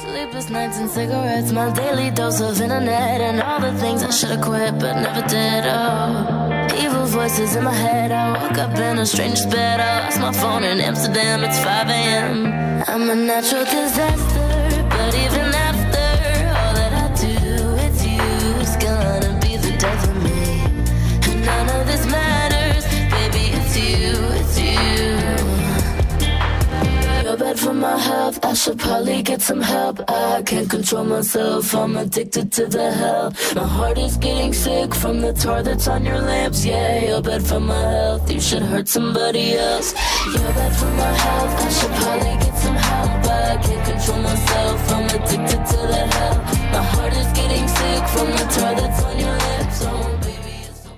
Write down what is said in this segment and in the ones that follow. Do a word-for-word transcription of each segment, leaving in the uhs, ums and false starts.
Sleepless nights and cigarettes, my daily dose of internet, and all the things I should have quit but never did. Oh, evil voices in my head. I woke up in a stranger's bed. I lost my phone in Amsterdam. It's five a.m. I'm a natural disaster, but even after all that I do, it's you. It's gonna be the death of me, and none of this matters. Baby, it's you, it's you. You're bad for my health, I should probably get some help. I can't control myself, I'm addicted to the hell. My heart is getting sick from the tar that's on your lamps. Yeah, you're bad for my health, you should hurt somebody else. You're bad for my health, I should probably get some help. I can't control myself, I'm addicted to the hell. My heart is getting sick from the tar that's on your lips. Oh,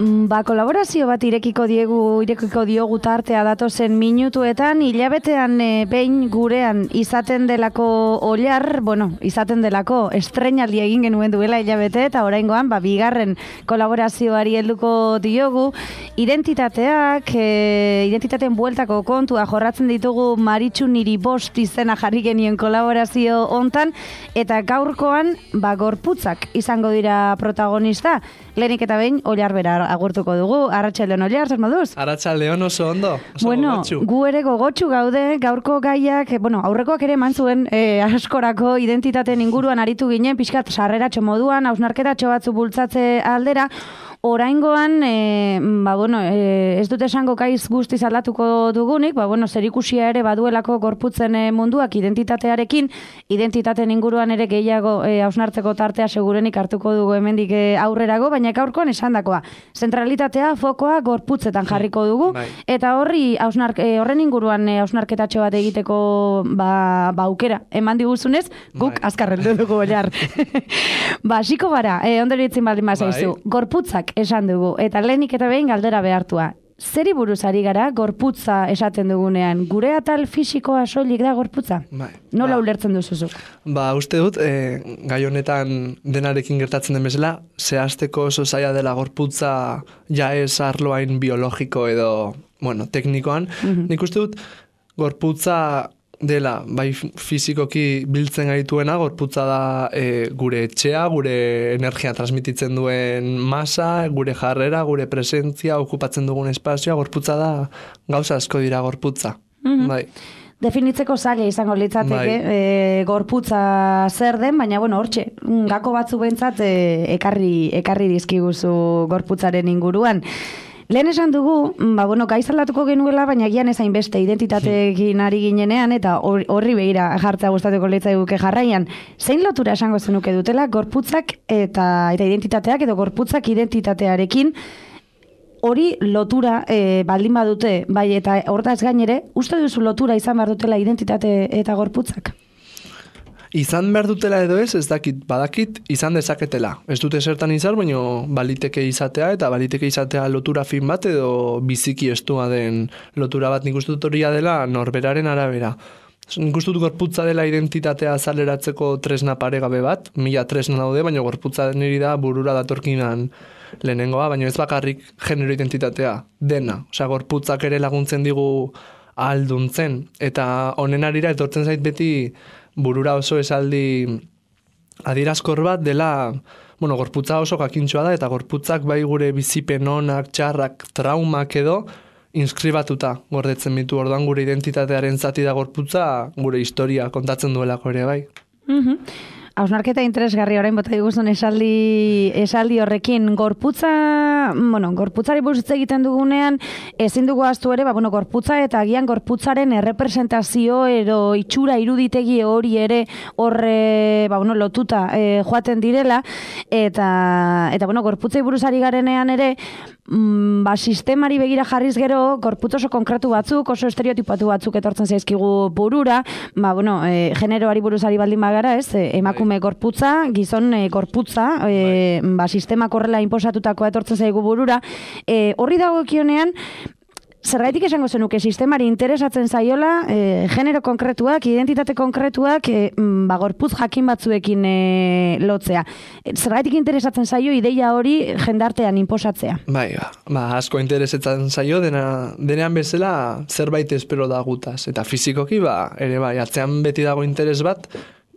Ba, kolaborazio bat irekiko diegu, irekiko diogu tartea datozen minutuetan, hilabetean e, behin gurean izaten delako oilar, bueno, izaten delako estreinaldi egin genuen duela hilabete, eta oraingoan, ba, bigarren kolaborazioari helduko diogu, identitateak, e, identitateen bueltako kontua jorratzen ditugu Maritxu niri bost izena jarri genien kolaborazio hontan, eta gaurkoan, ba, gorputzak izango dira protagonista, lehenik eta behin oilar bera agurtuko dugu. Arratsaldeon oilar, zer moduz? Arratsaldeon oso ondo. Oso bueno, gogotsu. Gu ere gogotsu gaude, gaurko gaiak, bueno, aurrekoak ere eman zuen e, askorako identitateen inguruan aritu ginen, pixkat sarreratxo moduan, hausnarketatxo batzu bultzatze aldera. Oraingoan, e, ba, bueno, e, ez dut esango kaiz guztiz aldatuko dugunik, ba, bueno, zerikusia ere baduelako gorputzen e, munduak identitatearekin, identitateen inguruan ere gehiago e, hausnartzeko tartea segurenik hartuko dugu hemendik e, aurrerago, baina gaurkoan esandakoa. Zentralitatea, fokoa gorputzetan jarriko dugu, bai. Eta horri hausnark, e, horren inguruan e, hausnarketatxo bat egiteko ba, ba aukera eman diguzunez, guk bai. azkarreldu dugu oilar. Ba, hasiko gara, e, ondoritzen baldin bazaizu, Bai. gorputzak esan dugu, eta lehenik eta behin galdera behartua. Zeri buruz ari gara gorputza esaten dugunean? Gure atal fisikoa soilik da gorputza? Bai. Nola Ba. ulertzen duzuzu? Ba, uste dut, e, gai honetan denarekin gertatzen den bezala, zehazteko oso zaila dela gorputza ja ez arloain biologiko edo, bueno, teknikoan. Mhm. Nik uste dut, gorputza dela, bai fizikoki biltzen gaituena, gorputza da e, gure etxea, gure energia transmititzen duen masa, gure jarrera, gure presentzia, okupatzen dugun espazioa, gorputza da gauza asko dira gorputza. Mhm. Bai. Definitzeko zaila izango litzateke Bai. e, gorputza zer den, baina bueno, hortxe, gako batzu behintzat e, ekarri, ekarri dizkiguzu gorputzaren inguruan. Lehen esan dugu, ba, bueno, gaizaldatuko genuela, baina gian ezain beste identitateekin ari ginenean, eta horri behira jartzea gustatuko litzaiguke jarraian. Zein lotura esango zenuke dutela gorputzak eta, eta identitateak edo gorputzak identitatearekin hori lotura e, baldin badute, bai, eta hortaz gainere, uste duzu lotura izan behar dutela identitate eta gorputzak? Izan behar dutela edo ez, ez dakit, badakit, izan dezaketela. Ez dute zertan izan, baina baliteke izatea, eta baliteke izatea lotura fin bat edo biziki estua den lotura bat. Nik uste dut horia dela norberaren arabera. Nik uste dut gorputza dela identitatea azaleratzeko tresna paregabe bat, mila tresna daude, baina gorputza niri da burura datorkinan lehenengoa, baina ez bakarrik genero identitatea, dena. Osea, gorputzak ere laguntzen digu ahalduntzen, eta honen arira etortzen zait beti burura oso esaldi adierazkor bat dela, bueno, gorputza oso jakintxoa da, eta gorputzak bai gure bizipen onak, txarrak, traumak edo, inskribatuta gordetzen ditu. Orduan gure identitatearen zati da gorputza, gure historia kontatzen duelako ere bai. Mhm. Hausnarketa interesgarri orain bota diguzun esaldi, esaldi horrekin. Gorputza, bueno, gorputzari buruz hitz egiten dugunean, ezin dugu ahaztu ere, ba, bueno, gorputza eta agian gorputzaren errepresentazio edo itxura iruditegi hori ere horre, ba, bueno, lotuta e, joaten direla, eta, eta bueno, gorputzai buruz ari garenean ere, mm, ba, sistemari begira jarriz gero, gorputz oso konkretu batzuk, oso estereotipatu batzuk etortzen zaizkigu burura, ba, bueno, e, generoari buruz ari baldin bagara, ez, e, emakume gorputza, gizon e, gorputza, e, ba, sistema korrela inposatutakoa etortzen zaigu burura, e, horri dagokionean, zergaitik esango zenuke sistemari interesatzen zaiola, e, genero konkretuak, identitate konkretuak, e, ba, gorputz jakin batzuekin e, lotzea. E, zergaitik interesatzen zaio ideia hori jendartean inposatzea? Bai, ba, ba asko interesatzen zaio, dena, denean bezala zerbait espero da gutaz. Eta fizikoki, ba, ere bai, atzean beti dago interes bat,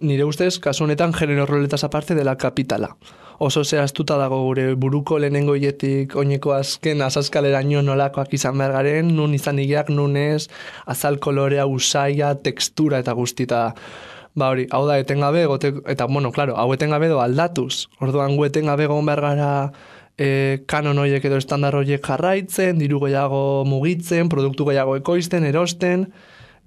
nire ustez, kasu honetan genero roletaz aparte dela kapitala. Oso zehaztuta dago gure buruko lehenengo hietik oineko azken azazkaleraino nolakoak izan behar garen, nun izan igeak, nun ez, azal kolorea, usaia, tekstura eta guztita. Ba hori, hau da etengabe, gote, eta bueno, claro, hau etengabe do aldatuz. Orduan gu etengabe egon behar gara e, kanon horiek edo estandar horiek jarraitzen, diru gehiago mugitzen, produktu gehiago ekoizten, erosten,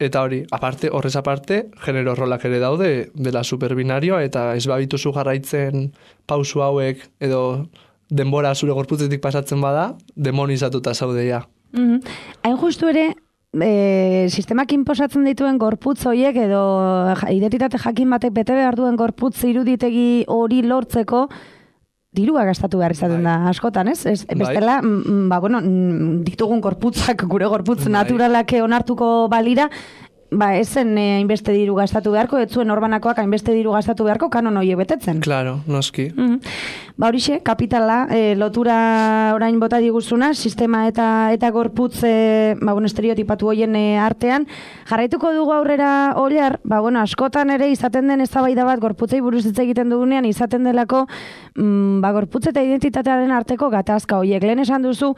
eta hori, aparte, horrez aparte, genero rolak ere daude dela superbinarioa, eta ez babituzu jarraitzen pausu hauek edo denbora zure gorputzetik pasatzen bada, demonizatuta zaudeia. Mm-hmm. Hain justu ere, e, sistemak inposatzen dituen gorputz horiek edo identitate jakin batek bete behar duen gorputz iruditegi hori lortzeko, dirua gastatu behar izaten da askotan, ez? ez bestela, bai. ba, bueno, ditugun gorputzak, gure gorputz bai. naturalak onartuko balira, ba, ezen hainbeste eh, diru gastatu beharko, ez zuen orbanakoak hainbeste diru gastatu beharko, kanon horiek betetzen. Claro, noski. Mm-hmm. Ba, horixe, kapitala, eh, lotura orain bota diguzuna, sistema eta eta gorputz, eh, ba, bueno, estereotipatu hoien eh, artean, jarraituko dugu aurrera oliar, ba, bueno, askotan ere izaten den eztabaida bat gorputzei buruz hitz egiten dugunean, izaten delako, mm, ba, gorputz eta identitatearen arteko gatazka horiek. Lehen esan duzu,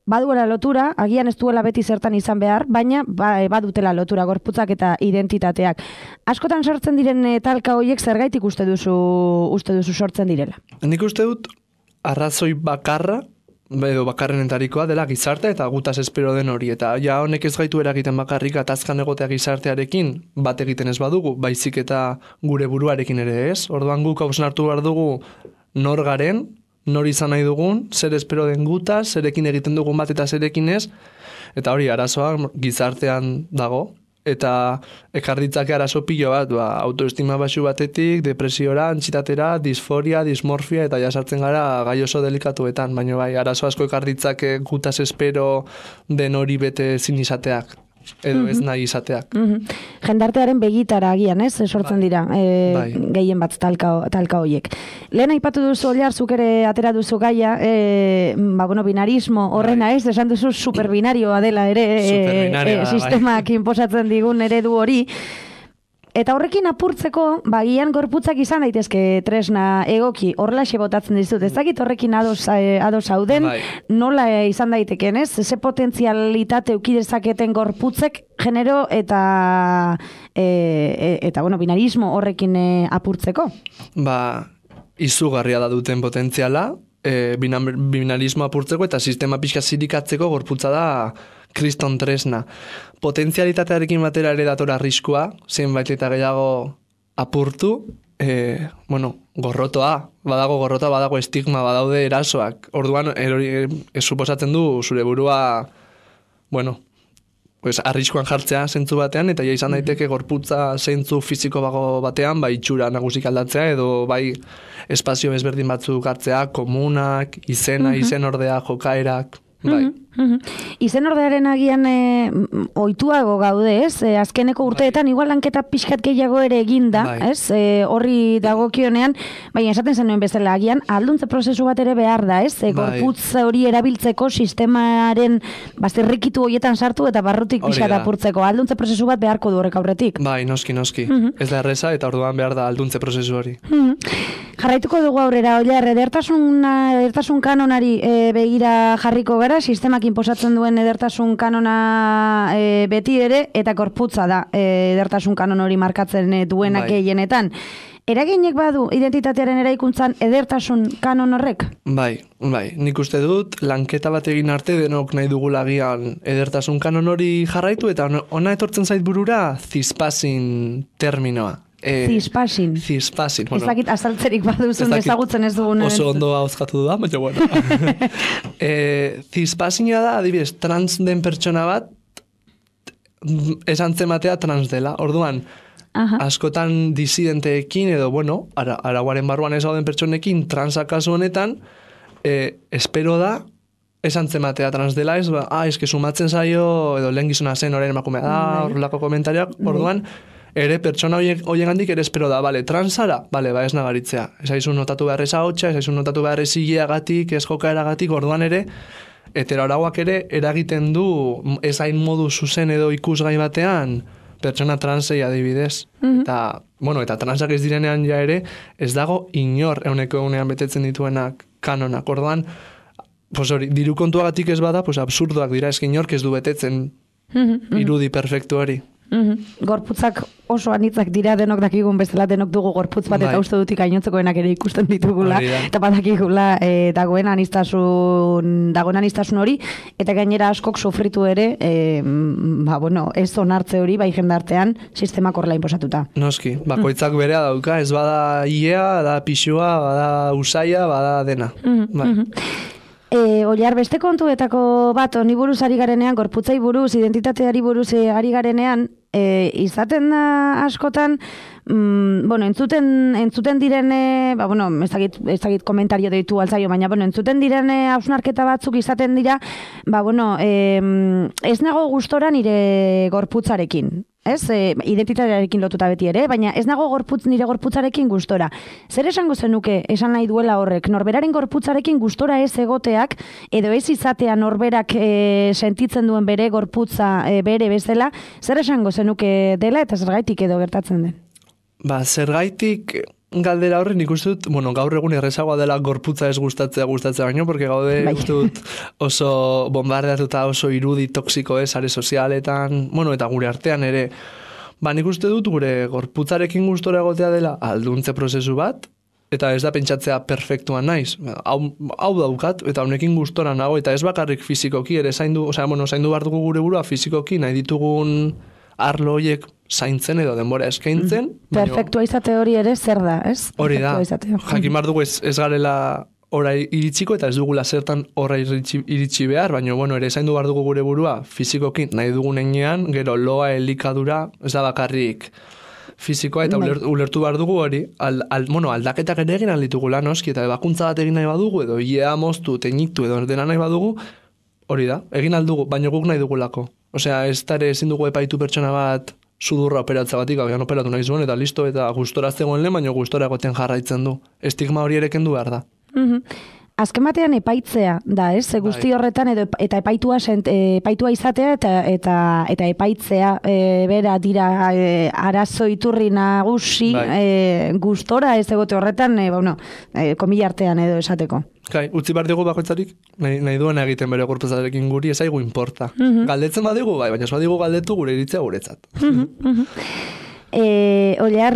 baduela lotura, agian ez duela beti zertan izan behar, baina ba, badutela lotura gorputzak eta identitateak. Askotan sortzen diren e, talka horiek zergaitik uste duzu, uste duzu sortzen direla? Nik uste dut arrazoi bakarra, edo bakarrenetarikoa dela gizartea eta gutaz espero den hori. Eta ja honek ez gaitu eragiten bakarrik atazkan egotea gizartearekin bat egiten ez badugu, baizik eta gure buruarekin ere ez. Orduan guk hausnartu behar dugu nor garen, nor izan nahi dugun, zer espero den gutaz, zerekin egiten dugun bat eta zerekin ez, eta hori arazoa gizartean dago, eta ekarditzake arazo pilo bat, ba, autoestima baxu batetik, depresiora, antxitatera, disforia, dismorfia, eta jasartzen gara gai oso delikatuetan, baina bai, arazo asko ekarditzake gutaz espero den hori bete zin izateak. Edo ez nahi izateak. Mm-hmm. Jendartearen begitara agian, ez? Sortzen bai. dira, e, bai. gehien bat talka, talka horiek. Lehen aipatu duzu oliar, zuk ere atera duzu gaia, e, ba, bueno, binarismo horrena bai. ez, esan duzu superbinarioa dela ere, e, e, sistemak bai. inposatzen digun eredu hori. Eta horrekin apurtzeko, bagian gorputzak izan daitezke tresna egoki, horrelaxe botatzen dizut. Ez dakit horrekin ados, ados hauden, bai. nola izan daiteken, ez? Ze potentzialitate ukidezaketen gorputzek genero eta e, eta bueno, binarismo horrekin e, apurtzeko? Ba, izugarria da duten potentziala, e, binarismo apurtzeko eta sistema pixka zirikatzeko gorputza da kriston tresna. Potentzialitatearekin batera ere datora arriskua, zenbait eta gehiago apurtu, e, bueno, gorrotoa, badago gorrotoa, badago estigma, badaude erasoak. Orduan, erori, ez suposatzen du zure burua, bueno, pues, arriskuan jartzea zentzu batean, eta ja izan daiteke gorputza zentzu fiziko bago batean, bai itxura nagusik aldatzea, edo bai espazio ezberdin batzuk hartzea, komunak, izena, uh-huh. izen ordea, jokaerak, bai. Uh-huh. Mm-hmm. Izen ordearen agian e, oituago gaude, ez? E, azkeneko urteetan igual lanketa pixkat gehiago ere eginda, bai. ez? E, horri dagokionean, baina esaten zenuen bezala agian alduntze prozesu bat ere behar da, ez? E, gorputz hori erabiltzeko sistemaren bazterrikitu horietan sartu eta barrutik pixkat apurtzeko. Alduntze prozesu bat beharko du horrek aurretik. Bai, noski, noski. Mm-hmm. Ez da erreza eta orduan behar da alduntze prozesu hori. Mm-hmm. Jarraituko dugu aurrera, oliar, edertasun, edertasun kanonari e, begira jarriko gara, sistemak inposatzen duen edertasun kanona e, beti ere, eta gorputza da e, edertasun kanon hori markatzen e, duenak bai. gehienetan. Eraginek badu identitatearen eraikuntzan edertasun kanon horrek? Bai, bai. Nik uste dut, lanketa bat egin arte denok nahi dugulagian edertasun kanon hori jarraitu, eta ona etortzen zait burura zispasin terminoa. Eh, Zispasin. Zispasin. Bueno, ez dakit azaltzerik baduzun ezagutzen ez dugun. Oso ondo hauzkatu da, baina bueno. eh, Zispasina da, adibidez, trans den pertsona bat, esan zematea trans dela. Orduan, Aha. askotan disidenteekin, edo, bueno, ara, araguaren barruan ez gauden pertsonekin, transa kasu honetan, eh, espero da, esan zematea trans dela, ez, ba, ah, eske sumatzen zaio, edo lehen gizona zen, orain emakumea da, horrelako komentariak, orduan, ere pertsona hoien handik ere espero da, bale, transara, bale, ba ez nagaritzea. Ez aizu notatu behar eza hotxa, ez aizu notatu behar ezileagatik, ez jokaeragatik, orduan ere, heteroarauak ere eragiten du, ez hain modu zuzen edo ikusgai batean, pertsona transei adibidez. Mm-hmm. Eta, bueno, eta transak ez direnean ja ere, ez dago inor euneko egunean betetzen dituenak kanonak. Orduan, pues hori, diru kontuagatik ez bada, pues absurdoak dira, ez inork ez du betetzen mm-hmm. irudi perfektu hori. Mm-hmm. Gorputzak oso anitzak dira, denok dakigun bezala, denok dugu gorputz bat, eta uste dutik gainontzekoenak ere ikusten ditugula, eta badakigula e, dagoen anistasun, dagoen anistasun hori, eta gainera askok sufritu ere, e, ba, bueno, ez onartze hori, bai jendartean, sistemak horrela inposatuta. Noski, bakoitzak berea dauka, ez bada iea, bada pixua, bada usaia, bada dena. Mm-hmm. Bai. Mm-hmm. E, Oliar, beste kontuetako bat, honi buruz ari garenean, gorputzai buruz, identitateari buruz ari garenean, e, izaten da askotan, mm, bueno, entzuten, entzuten direne, ba, bueno, ez dakit, ez dakit komentario deitu altzaio, baina, bueno, entzuten direne hausnarketa batzuk izaten dira, ba, bueno, e, ez nago gustora nire gorputzarekin. Ez, e, identitatearekin lotuta beti ere, baina ez nago gorputz, nire gorputzarekin gustora. Zer esango zenuke esan nahi duela horrek? Norberaren gorputzarekin gustora ez egoteak, edo ez izatea norberak e, sentitzen duen bere gorputza e, bere bezala, zer esango zenuke dela eta zergaitik edo gertatzen den? Ba, zergaitik galdera horren ikusten dut, bueno, gaur egun errezagoa dela gorputza ez gustatzea gustatzea baino, porque gaude bai. Uste dut oso bombardeatuta oso irudi toksiko ez, sare sozialetan, bueno, eta gure artean ere, ba, nik uste dut gure gorputzarekin gustora egotea dela alduntze prozesu bat, eta ez da pentsatzea perfektuan naiz. Hau, hau daukat, eta honekin gustora nago, eta ez bakarrik fizikoki, ere zaindu, osea, bueno, zaindu behar dugu gure burua fizikoki, nahi ditugun arlo horiek zaintzen edo denbora eskaintzen. Perfektua izate hori ere zer da, ez? Hori da, jakin behar dugu ez, ez garela orai iritsiko eta ez dugula zertan orai iritsi, iritsi behar, baina bueno, ere zaindu behar dugu gure burua fizikoki nahi dugun enean, gero loa elikadura, ez da bakarrik fizikoa eta uler, ulertu behar dugu hori, al, al, bueno, aldaketak ere egin alditugula noski, eta bakuntza bat egin nahi badugu, edo iea moztu, teñitu, edo dena nahi badugu, hori da, egin aldugu, baina guk nahi dugulako. Osea, ez tare ezin dugu epaitu pertsona bat sudurra operatza batik, agian operatu nahi zuen, eta listo, eta gustora zegoen lehen, baina gustora egoten jarraitzen du. Estigma hori ere kendu behar da. Mm-hmm. Azken batean epaitzea da, ez? Ze guzti horretan edo eta epaitua sent, epaitua izatea eta eta eta epaitzea e, bera dira e, arazo iturri nagusi e, gustora ez egote horretan, e, bueno, e, komilla artean edo esateko. Kai, utzi behar dugu bakoitzarik, nahi, nahi duena egiten bere gorputzarekin guri, ez aigu importa. Mm-hmm. Galdetzen badigu, bai, baina ez badigu galdetu gure iritzea guretzat. Mm-hmm. E, Oliar,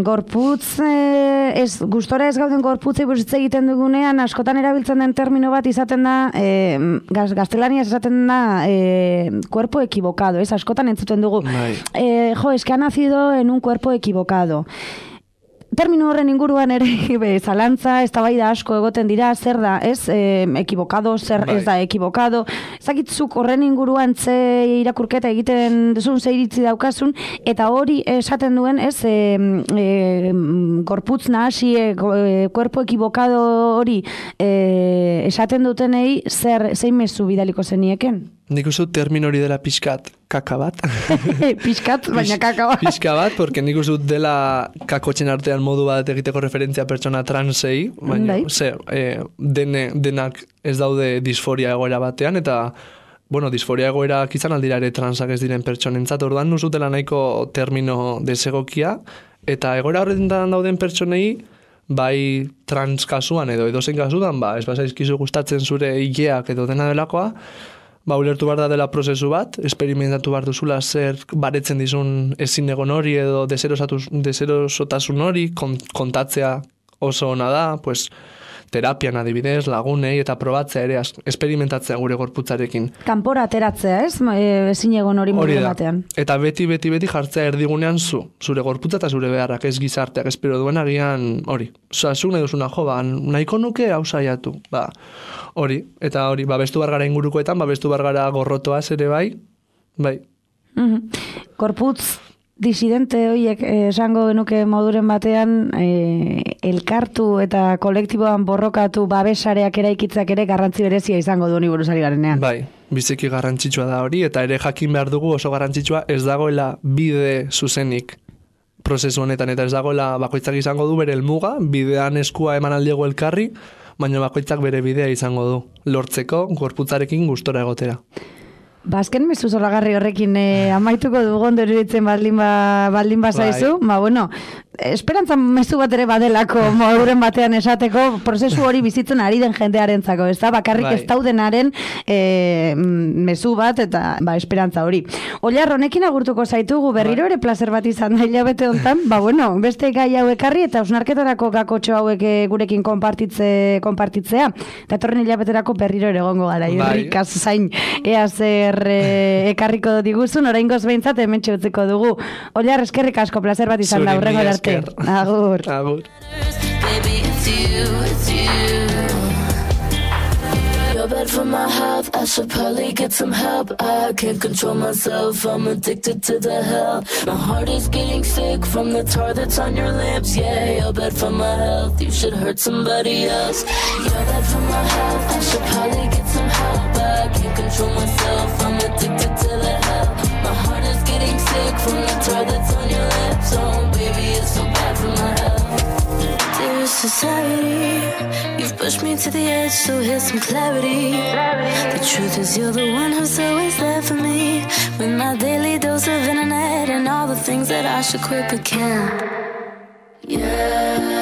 gorputz, e, ez, gustora ez gauden gorputzei buruzitze egiten dugunean, askotan erabiltzen den termino bat izaten da, e, gaz, gaztelaniaz esaten da, e, cuerpo equivocado, ez, askotan entzuten dugu. E, jo, es que ha nacido en un cuerpo equivocado. Termino horren inguruan ere be, zalantza, eztabaida asko egoten dira, zer da, ez, e, ekibokado, zer bai. Ez da ekibokado. Ezakitzuk horren inguruan ze irakurketa egiten duzun, ze iritzi daukasun, eta hori esaten duen, ez, e, e, gorputz nahasi, e, cuerpo ekibokado hori e, esaten dutenei, zer, zein mezu bidaliko zenieken? Nik uste termin hori dela pixkat, kaka bat. Pixkat, baina kaka bat. Pixka bat, porque nik uste dela kakotxen artean modu bat egiteko referentzia pertsona transei, baina, ze, e, dene, denak ez daude disforia egoera batean, eta, bueno, disforia egoera izan aldira ere transak ez diren pertsonentzat, orduan nuzutela nahiko termino desegokia, eta egoera horretan dauden pertsonei, bai trans kasuan edo edozein kasuan, ba, ez bazaizkizu gustatzen zure hileak edo dena delakoa, ba, ulertu behar da dela prozesu bat, esperimentatu behar duzula zer baretzen dizun ezin egon hori edo deserosotasun hori, kontatzea oso ona da, pues, terapian adibidez, lagunei eta probatzea ere esperimentatzea gure gorputzarekin. Kanpora ateratzea, ez? Ezin egon hori modu batean. Eta beti, beti, beti jartzea erdigunean zu, zure gorputza eta zure beharrak, ez gizarteak, espero duen agian hori. Osa, zuk nahi duzuna, jo, ba, nahiko nuke hau saiatu, ba, hori, eta hori, babestu bargara ingurukoetan, babestu bargara gorrotoaz ere bai, bai. Mm-hmm. Gorputz disidente horiek esango genuke moduren batean e, elkartu eta kolektiboan borrokatu babesareak eraikitzak ere garrantzi berezia izango du honi buruzari garenean. Bai, biziki garrantzitsua da hori, eta ere jakin behar dugu oso garrantzitsua ez dagoela bide zuzenik prozesu honetan, eta ez dagoela bakoitzak izango du bere helmuga, bidean eskua eman aldiego elkarri, baina bakoitzak bere bidea izango du, lortzeko gorputzarekin gustora egotera. Bazken mezu zoragarri horrekin eh, amaituko dugondo iruditzen baldin, ba, baldin bazaizu, ba, bueno, esperantza mezu bat ere badelako moduren batean esateko prozesu hori bizitzen ari den jendearentzako, ez da? Bakarrik bai. ez daudenaren e, mezu bat eta ba, esperantza hori. Oilar, honekin agurtuko zaitugu berriro ere plazer bat izan da hilabete hontan, ba bueno, beste gai hau ekarri eta osnarketarako gakotxo hauek gurekin konpartitze, konpartitzea. Eta etorren hilabeterako berriro ere egongo gara, bai. irrikaz zain ea zer e, ekarriko diguzun, oraingoz behintzat hemen txutziko dugu. Oilar, eskerrik asko, plazer bat izan da, hurrengo arte. Agur. Agur. Baby, it's you, it's you. You're bad for my health, I should probably get some help. I can't control myself, I'm addicted to the hell. My heart is getting sick from the tar that's on your lips. Yeah, you're bad for my health, you should hurt somebody else. You're bad for my health, I should probably get some help. I can't control myself, I'm addicted to the hell. My heart is getting sick from the tar that's on your lips. Oh baby, it's so bad for my health. Dear society, you've pushed me to the edge, so here's some clarity. The truth is you're the one who's always there for me, with my daily dose of internet and all the things that I should quit but can't. Yeah.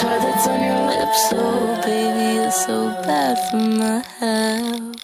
That's on your lips, oh baby, it's so bad for my health.